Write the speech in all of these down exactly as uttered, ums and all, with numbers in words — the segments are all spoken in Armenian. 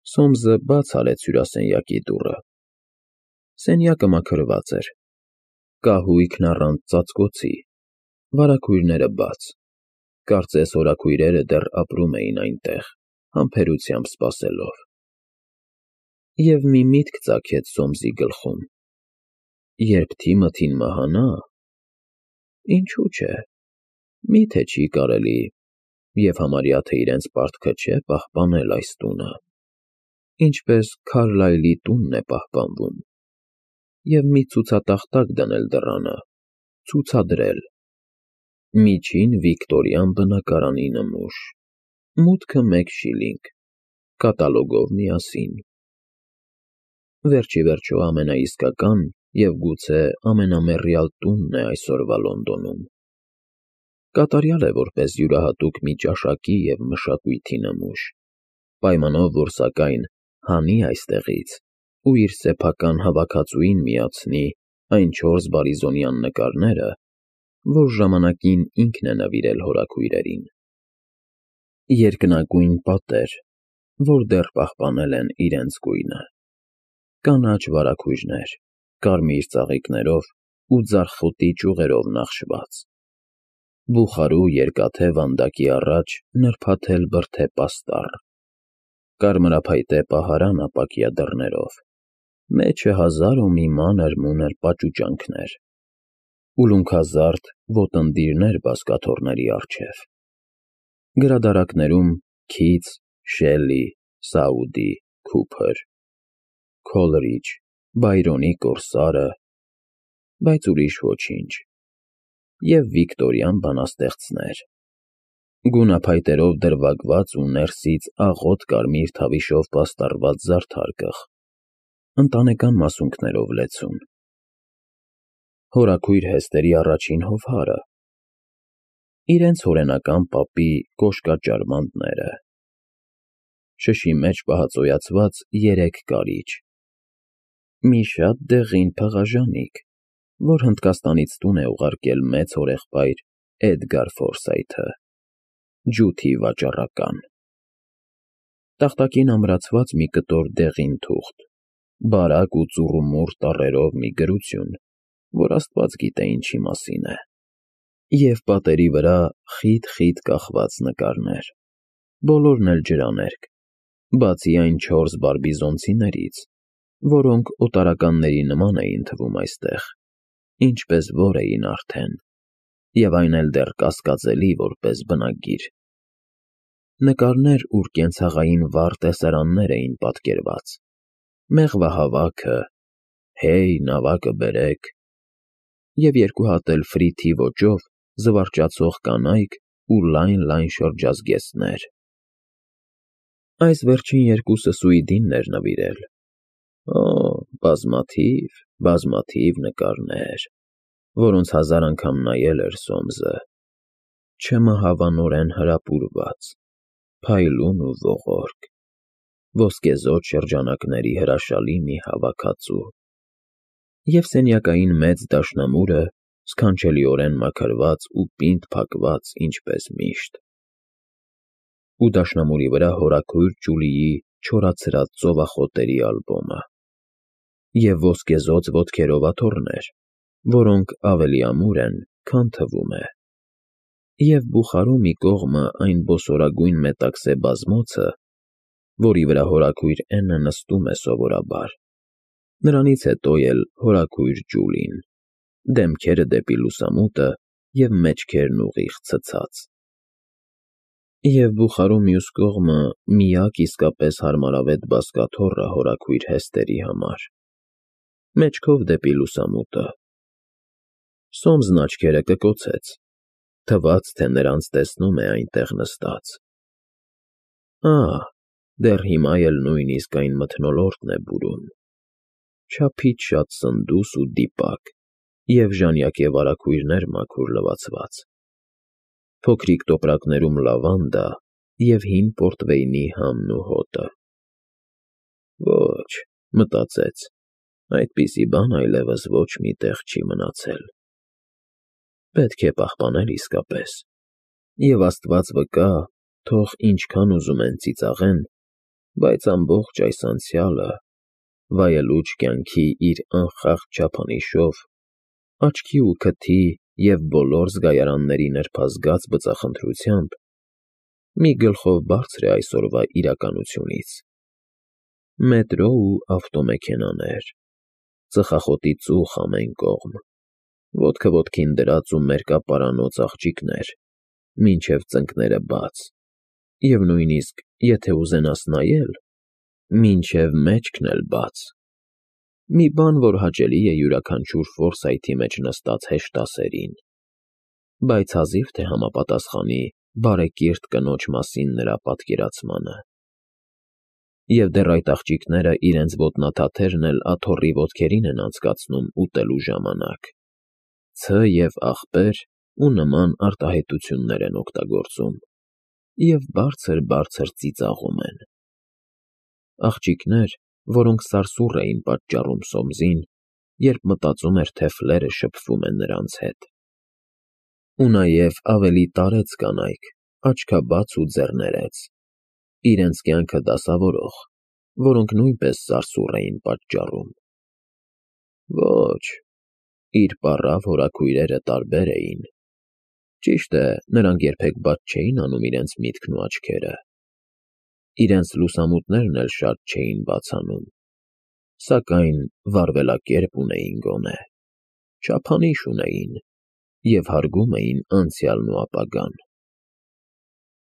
Սոմսը բաց արեց հյուրասենյակի դուռը։ Սենյակը մաքրված էր, կահույքն առանց ծածկոցի, վարագույրները բաց, կարծես հորաքույրերը դեռ ապրում էին այնտեղ, համբերությամբ սպասելով։ Եվ մի միտք ծագեց Սոմսի գլխում. երբ Թիմոթին մահանա, ինչու՞ չէ, մի՞թե չի կարելի, և համարյա թե իրենց պարտքը չէ պահպանել այս տունը, ինչպես Քարլայլի տունն է պահպանվում, և մի ցուցատախտակ դնել դռանը, ցուցադրել. «Միջին վիկտորյան բնակարանի նմուշ, մուտքը մեկ շիլինգ, կատալոգով միասին»։ Վերջիվերջո ամենաիսկական և գուցե ամենամեռյալ տունն է այսօրվա Լոնդոնում։ Կատարյալ է որպես յուրահատուկ մի ճաշակի և մշակույթի նմուշ, պայմանով, որ սակայն հանի այստեղից ու իր սեփական հավաքածուին միացնի այն չորս բարիզոնյան նկարները, որ ժամանակին ինքն է նվիրել հորաքույրերին։ Երկնագույն պատեր, որ դեռ պահպանել են իրենց գույնը, կանաչ վարագույրներ, կարմիր ծաղիկներով ու ձարխոտի ճյուղերով նախշված, բուխարու երկաթե վանդակի առաջ նրբաթել բրդե պաստառ, կարմրափայտե պահարան ապակյա դռներով, մեջը հազար ու մի մանր-մունր պաճուճանքներ, ուլունքազարդ ոտննդիրներ բազկաթոռների առջև, գրադարաններում Քիթս, Շելլի, Սաուդի, Քուփր, Քոլրիջ, Բայրոնի կորսարը, բայց ուրիշ ոչինչ, և վիկտորյան բանաստեղծներ, գունափայտերով դրվագված ու ներսից աղոտ կարմիր թավիշով պաստառված զարդարկղ, ընտանեկան մասունքներով լեցուն, հորաքույր Հեստերի առաջին հովհարը, իրենց հորենական պապի կոշկաճարմանտները, շշի մեջ պահածոյացված երեք կարիճ, մի շատ դեղին փղաժանիկ, որ Հնդկաստանից տուն է ուղարկել մեծ հորեղբայր Էդգար Ֆորսայթը, ջութի վաճառական, տախտակին ամրացված մի կտոր դեղին թուղթ, բարակ ու ծուռումուռ տառերով մի գրություն, որ աստված գիտե ինչի մասին է, և պատերի վրա խիտ-խիտ կախված նկարներ, բոլորն էլ ջրաներկ, բացի այն չորս բարբիզոնցիներից, որոնք օտարականների նման էին թվում այստեղ, ինչպես որ էին արդեն, և այն էլ դեռ կասկածելի որպես բնագիր։ Նկարներ, ուր կենցաղային վառ տեսարաններ էին պատկերված, մեղվահավաքը, «Հեյ, նավակը բերեք», և երկու հատ էլ ֆրիթի ոճով զվարճացող կանայք ու լայն-լայն շրջազգեստներ։ Այս վերջին երկուսը Սուիդինն էր նվիրել։ Օ, բազմաթիվ, բազմաթիվ նկարներ, որոնց հազար անգամ նայել էր Սոմսը, չմահավանորեն հրապուրված, փայլուն ու ողորկ, ոսկեզօծ շրջանակների հրաշալի մի հավաքածու, և սենյակային մեծ դաշնամուրը սքանչելիորեն մաքրված ու պինդ փակված ինչպես միշտ, ու դաշնամուրի վրա հորաքույր Ջուլիի չորացրած ծովախոտերի ալբոմը, և ոսկեզօծ ոտքերով աթոռներ, որոնք ավելի ամուր են, քան թվում է, և բուխարու մի կողմը այն բոսորագույն մետաքսե բազմոցը, որի վրա հորաքույր Էննը նստում է սովորաբար, նրանից հետո էլ հորաքույր Ջուլին, դեմքերը դեպի լուսամուտը և մեջքերն ուղիղ ցցած, և բուխարու մյուս կողմը միակ իսկապես հարմարավետ բազկաթոռը հորաքույր Հեստերի համար, մեջքով դեպի լուսամուտը։ Սոմսն աչքերը կկոցեց, թվաց, թե նրանց տեսնում է այնտեղ նստած։ Ահ, դեռ հիմա էլ նույնիսկ այն մթնոլորտն է բուրում, չափից շատ սնդուս ու դիպակ և ժանյակե վարագույրներ մաքուր լվացված, փոքրիկ տոպրակներում լավանդա և հին պորտվեյնի համն ու հոտը։ Ոչ, մտածեց, այդպիսի բան այլևս ոչ մի տեղ չի մնացել։ Պետք է պահպանել իսկապես, և աստված վկա, թող ինչքան ուզում են ծիծաղեն, Բայց ամբողջ այս անցյալը, վայելուչ կյանքի իր անխախտ չափանիշով, աչքի ու քթի և բոլոր զգայարանների նրբազգաց բծախնդրությամբ, մի գլխով բարձր է այսօրվա իրականությունից. մետրո ու ավտոմեքենաներ, ծխախոտի ծուխ ամեն կողմ, ոտքը ոտքին դրած ու մերկապարանոց աղջիկներ, մինչև ծնկները բաց, և նույնիսկ, եթե ուզենաս նայել, մինչև մեջքն էլ բաց, մի բան, որ հաճելի է յուրաքանչյուր ֆորսայթի մեջ նստած հեշտասերին, բայց հազիվ թե համապատասխանի բարեկիրթ կնոջ մասին նրա պատկերացմանը։ Եվ դեռ այդ աղջիկները իրենց ոտնաթաթերն էլ աթոռի ոտքերին են անցկացնում ուտելու ժամանակ, ցը և աղբեր ու նման արտահայտություններ են օգտագործում և բարձր֊բարձր ծիծաղում են։ Աղջիկներ, որոնք սարսուռ էին պատճառում Սոմսին, երբ մտածում էր, թե Ֆլերը շփվում է նրանց հետ։ Ու նաև ավելի տարեց կանայք, աչքաբաց ու ձեռներեց, իրենց կյանքը դասավորող, որոնք նույնպես սարսուռ էին պատճառում։ Ոչ, իր պառավ հորաքույրերը տարբեր էին։ Ճիշտ է, նրանք երբեք բաց չէին անում իրենց միտքն ու աչքերը, իրենց լուսամուտներն էլ շատ չէին բացանում, սակայն վարվելակերպ ունեին գոնե, չափանիշ ունեին և հարգում էին անցյալն ու ապագան։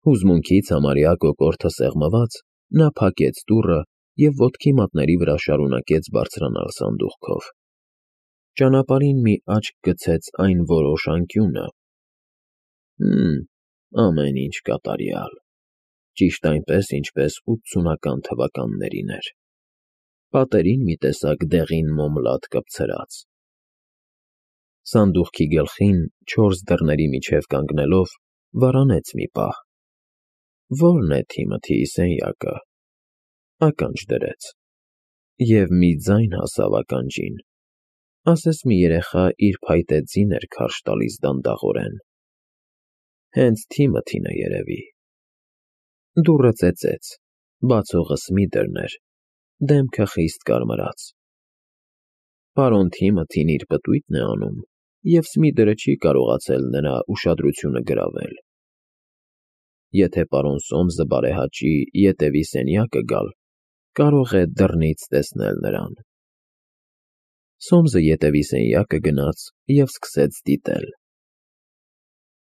Հուզմունքից համարյա կոկորդը սեղմված, նա փակեց դուռը և ոտքի մատների վրա շարունակեց բարձրանալ սանդուղքով։ Ճանապարհին մի աչք գցեց այն որոշ անկյունը. «Հըմ, ամեն ինչ կատարյալ, ճիշտ այնպես, ինչպես ութսունական թվականներին էր, պատերին մի տեսակ դեղին մոմ լադ կպցրած»։ Սանդուղքի գլխին, չորս դռների միջև կանգնելով, վարանեց մի պահ։ Ո՞րն է Թիմոթիի սենյակը։ Ականջ դրեց։ Եվ մի ձայն հասավ ականջին, ասես մի երեխա իր փայտե ձիներ քարշ տալիս դանդաղորեն։ Հենց Թիմոթին է երևի։ Դուռը ծեծեց, բացողը Սմիթերն էր, դեմքը խիստ կարմրած։ Պարոն Թիմոթին իր պտույտն է անում, և Սմիթերը չի կարողացել նրա ուշադրությունը գրավել։ Եթե պարոն Սոմսը բարեհաճի ետևի սենյակը գալ, կարող է դռնից տեսնել նրան։ Սոմսը ետևի սենյակը գնաց և սկսեց դիտել։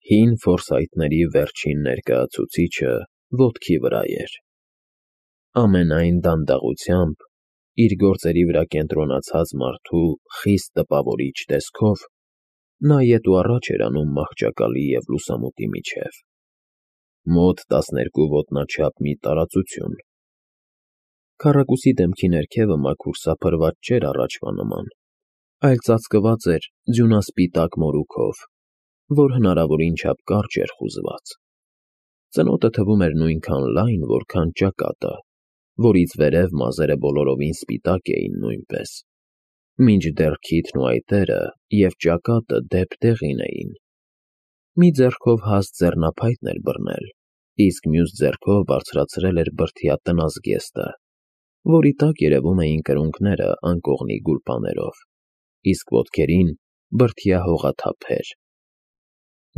Հին ֆորսայթների վերջին ներկայացուցիչը ոտքի վրա էր։ Ամենայն դանդաղությամբ, իր գործերի վրա կենտրոնացած մարդու խիստ տպավորիչ տեսքով, նա ետ ու առաջ էր անում մահճակալի և լուսամուտի միջև։ Մոտ տասներկու ոտնաչափ մի տարածություն։ Քառակուսի դեմքի ներքևը մաքուր սափրված չէր առաջվա նման, այլ ծածկված էր ձյունասպիտակ մորուքով, որ հնարավորին չափ կարճ էր խուզված։ Ծնոտը թվում էր նույնքան լայն, որքան ճակատը, որից վերև մազերը բոլորովին սպիտակ էին նույնպես, մինչդեռ քիթն ու այտերը և ճակատը դեպ դեղին էին։ Մի ձեռքով հաստ ձեռնափայտն էր բռնել, իսկ մյուս ձեռքով բարձրացրել էր բրդյա տնազգեստը, որի տակ երևում էին կրունկները անկողնի գուլպաներով, իսկ ոտքերին բրդյա հողաթափեր։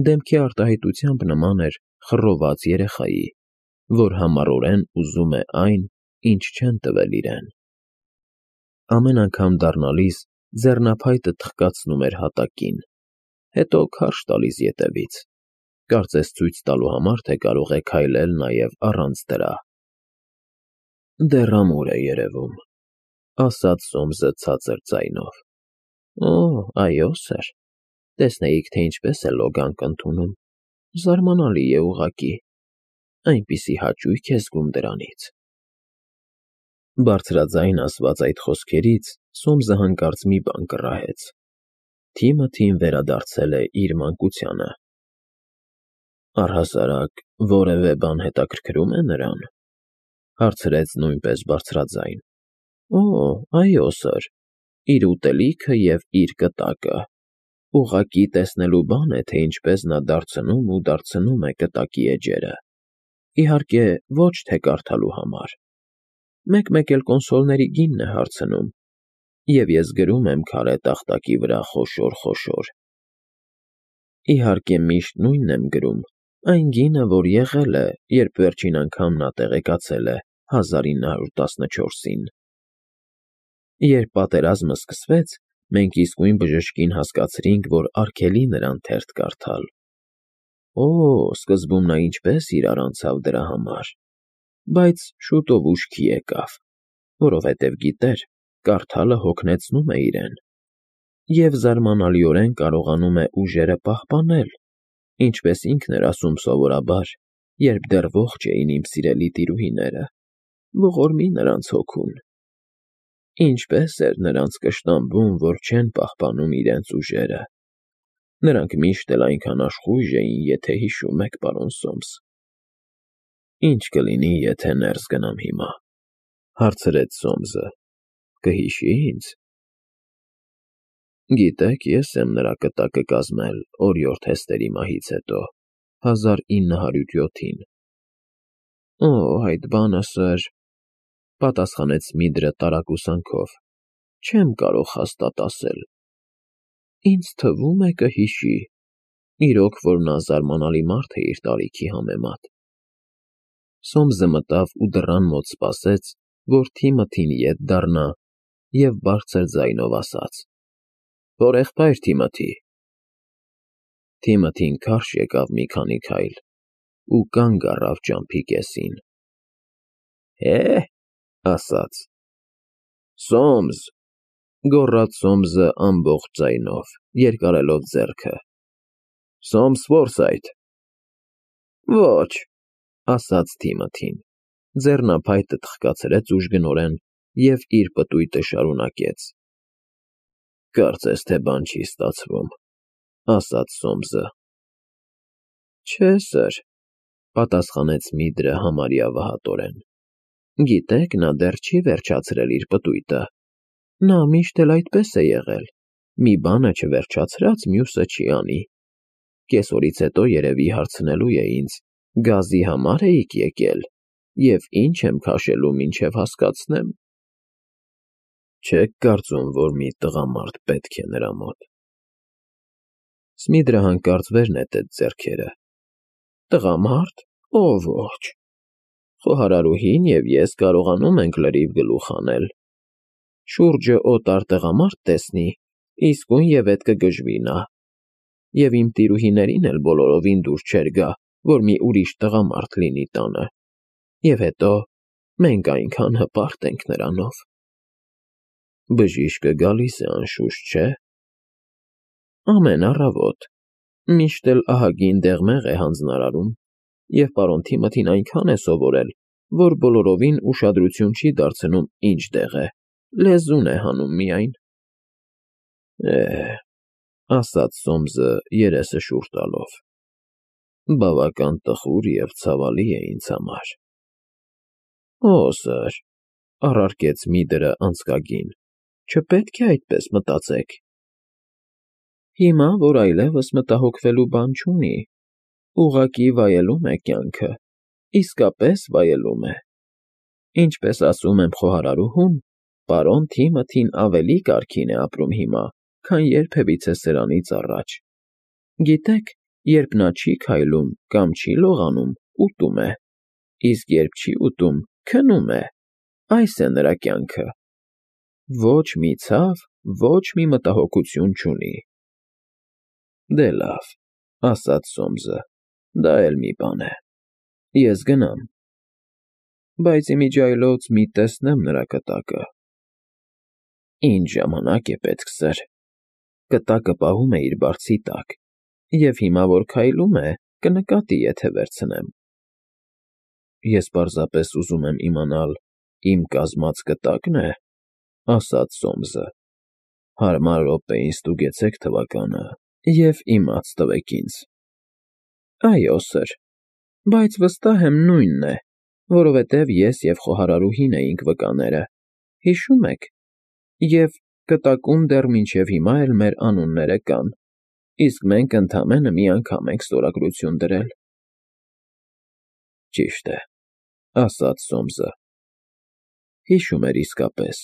Դեմքի արտահայտությամբ նման էր խռոված երեխայի, որ համառորեն ուզում է այն, ինչ չեն տվել իրեն։ Ամեն անգամ դառնալիս ձեռնափայտը թխկացնում էր հատակին, հետո քարշ տալիս ետևից, կարծես ցույց տալու համար, թե կարող է քայլել նաև առանց դրա։ «Դեռ ամուր է երևում», ասաց Սոմսը ցածր ձայնով։ «Օ, այո, սըր, տեսնեիք, թե ինչպես է լոգանք ընդունում, զարմանալի է ուղղակի, այնպիսի հաճույք է զգում դրանից»։ Բարձրաձայն ասված այդ խոսքերից Սոմսը հանկարծ մի բան կռահեց. Թիմոթին վերադարձել է իր մանկությանը։ «Առհասարակ որևէ բան հետաքրքրում է նրան», հարցրեց նույնպես բարձրաձայն։ «Օ, այո, սըր, իր ուտելիքը և իր կտակը։ Ուղղակի տեսնելու բան է, թե ինչպես նա դարձնում ու դարձնում է կտակի էջերը։ Իհարկե, ոչ թե կարդալու համար»։ մեկ-մեկ էլ կոնսոլների գինն է հարցնում, և ես գրում եմ քարե տախտակի վրա խոշոր-խոշոր։ Իհարկե միշտ նույնն եմ գրում, այն գինը, որ եղել է, երբ վերջին անգամ նա տեղեկացել է հազար ինը հարյուր տասնչորսին։ Երբ պատերազմը սկսվեց, մենք իսկույն բժշկին հասկացրինք, որ արգելի նրան թերթ կարդալ։ Օ, սկզբում նա ինչպես իրար անցավ դրա համար, բայց շուտով ուշքի եկավ, որովհետև գիտեր, կարդալը հոգնեցնում է իրեն, և զարմանալիորեն կարողանում է ուժերը պահպանել, ինչպես ինքն էր ասում սովորաբար, երբ դեռ ողջ էին իմ սիրելի տիրուհիները, ողորմի նրանց հոգուն։ Ինչպես էր նրանց կշտամբում, որ չեն պահպանում իրենց ուժերը։ Նրանք միշտ էլ այնքան աշխույժ էին, եթե հիշում եք, պարոն Սոմս։ Ինչ կլինի, եթե ներս գնամ հիմա, հարցրեց Սոմսը, կհիշի՞ ինձ։ Գիտեք, ես եմ նրա կտակը կազմել օրիորդ Հեստերի մահից հետո, հազար ինը հարյուր յոթին։ Օ, այդ բանը, սըր, պատասխանեց Սմիդրը տարակուսանքով, չեմ կարող հաստատ ասել։ Ինձ թվում է կհիշի, իրոք որ նա զարմանալի մարդ է իր տարիքի համեմատ։ Սոմսը մտավ ու դռան մոտ սպասեց, որ Թիմոթին ետ դառնա, և բարձր ձայնով ասաց. «Հորեղբայր Թիմոթի»։ Թիմոթին քարշ եկավ մի քանի քայլ ու կանգ առավ ճամփի կեսին։ Հե՞, ասաց։ Սոմս, գոռաց Սոմսը ամբողջ ձայնով, երկարելով ձեռքը։ Սոմս Ֆորսայթ։ Ոչ, ասաց Թիմոթին, ձեռնափայտը թխկացրեց ուժգնորեն և իր պտույտը շարունակեց։ Կարծես թե բան չի ստացվում, ասաց Սոմսը։ Չէ, սըր, պատասխանեց Սմիդրը համարյա վհատորեն։ Գիտեք, նա դեռ չի վերջացրել իր պտույտը։ Նա միշտ էլ այդպես է եղել, մի բանը չվերջացրած, մյուսը չի անի։ Կեսօրից հետո երևի հարցնելու է ինձ, գազի համար էիք եկել, և ինչ եմ քաշելու, մինչև հասկացնեմ։ Չեք կարծում, որ մի տղամարդ պետք է նրա մոտ։ Սմիդրը հանկարծ վեր նետեց ձեռքերը։ Տղամարդ, օ ոչ։ Խոհարարուհին և ես կարողանում ենք լրիվ գլուխ հանել։ Շուրջը օտար տղամարդ տեսնի, իսկույն և ետ կգժվի նա։ Եվ իմ տիրուհիներին էլ բոլորովին դուր չէր գա, որ մի ուրիշ տղամարդ լինի տանը։ Եվ հետո մենք այնքան հպարտ ենք նրանով։ Բժիշկը գալիս է, անշուշտ, չէ՞։ Ամեն առավոտ, միշտ էլ ահագին դեղմեղ է հանձնարարում, և պարոն Թիմոթին այնքան է սովորել, որ բոլորովին ուշադրություն չի դարձնում ինչ դեղ է, լեզուն է հանում միայն։ Է, ասաց Սոմսը երեսը շուռ տալով, բավական տխուր և ցավալի է ինձ համար։ Օ, սըր, առարկեց Սմիդրը անձկագին, չպետք է այդպես մտածեք։ Հիմա, որ այլևս մտահոգվելու բան չունի, ուղղակի վայելում է կյանքը, իսկապես վայելում է։ Ինչպես ասում եմ խոհարարուհուն, պարոն Թիմոթին ավելի կարգին է ապրում հիմա, քան երբևիցե սրանից առաջ։ Գիտեք, երբ նա չի քայլում կամ չի լողանում, ուտում է, իսկ երբ չի ուտում, քնում է, այս է նրա կյանքը։ Ոչ մի ցավ, ոչ մի մտահոգություն չունի։ Դե լավ, ասաց Սոմսը, դա էլ մի բան է։ Ես գնամ։ Բայց իմիջիայլոց մի տեսնեմ նրա կտակը։ Ինչ ժամանակ է պետք, սըր։ Կտակը պահում է իր բարձի տակ, և հիմա, որ քայլում է, կնկատի, եթե վերցնեմ։ Ես պարզապես ուզում եմ իմանալ, իմ կազմած կտակն է, ասաց Սոմսը։ Հարմար րոպեին ստուգեցեք թվականը և իմաց տվեք ինձ։ Այո, սըր, բայց վստահ եմ նույնն է, որովհետև ես և խոհարարուհին էինք վկաները, հիշում եք, և կտակում դեռ մինչև հիմա էլ մեր անունները կան, իսկ մենք ընդամենը մի անգամ ենք ստորագրություն դրել։ Ճիշտ է, ասաց Սոմսը։ Հիշում էր իսկապես։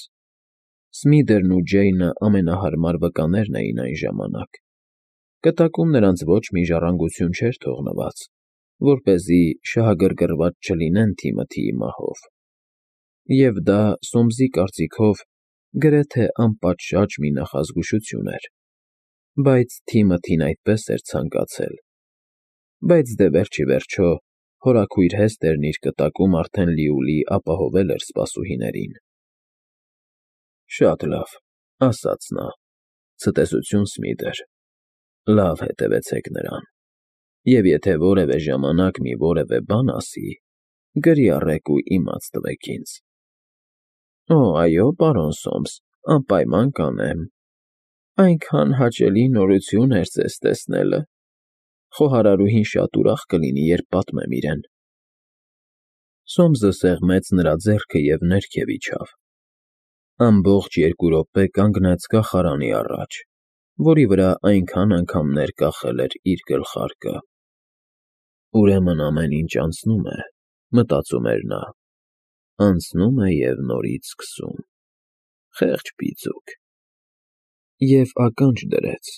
Սմիթերն ու Ջեյնը ամենահարմար վկաներն էին այն ժամանակ. կտակում նրանց ոչ մի ժառանգություն չէր թողնված, որպեսզի շահագրգռված չլինեն Թիմոթիի մահով։ Եվ դա Սոմսի կարծիքով գրեթե անպատշաճ մի նախազգուշություն էր, բայց Թիմոթին այդպես էր ցանկացել։ Բայց դե վերջ ի վերջո հորաքույր Հեստերն իր կտակում արդեն լիովին ապահովել էր սպասուհիներին։ Շատ լավ, ասաց նա, ցտեսություն Սմիթեր, լավ հետևեցեք նրան, և եթե որևէ ժամանակ մի որևէ բան ասի, գրի առեք ու իմաց տվեք ինձ։ Օ, այո, պարոն Սոմս, անպայման կանեմ, այնքան հաճելի նորություն էր ձեզ տեսնելը, խոհարարուհին շատ ուրախ կլինի, երբ պատմեմ իրեն։ Սոմսը սեղմեց նրա ձեռքը և ներքև իջավ։ Ամբողջ երկու րոպե կանգնեց կախարանի առաջ, որի վրա այնքան անգամներ կախել էր իր գլխարկը։ Ուրեմն ամեն ինչ անցնում է, մտածում էր նա, անցնում է և նորից սկսում, խեղճ պիծուկ։ Եվ ականջ դրեց.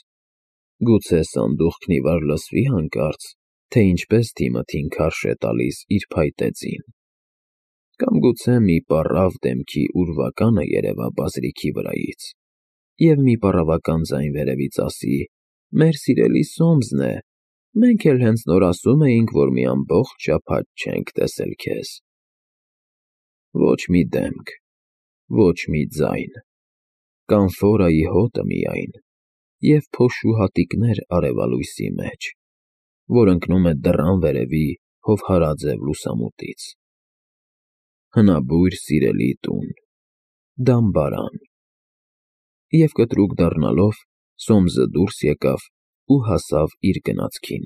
գուցե սանդուղքն ի վար լսվի հանկարծ, թե ինչպես Թիմոթին քարշ է տալիս իր փայտե ձին, կամ գուցե մի պառավ դեմքի ուրվականը երևա բազրիքի վրայից, և մի պառավական ձայն վերևից ասի. «Մեր սիրելի Սոմսն է, մենք էլ հենց նոր ասում էինք, որ մի ամբողջ շաբաթ չենք տեսել քեզ»։ Ոչ մի դեմք, ոչ մի ձայն, կանֆորայի հոտը միայն և փոշու հատիկներ արևալույսի մեջ, որ ընկնում է դռան վերևի հովհարաձև լուսամուտից։ Հնաբույր սիրելի տուն, դամբարան։ Եվ կտրուկ դառնալով՝ Սոմսը դուրս եկավ ու հասավ իր գնացքին։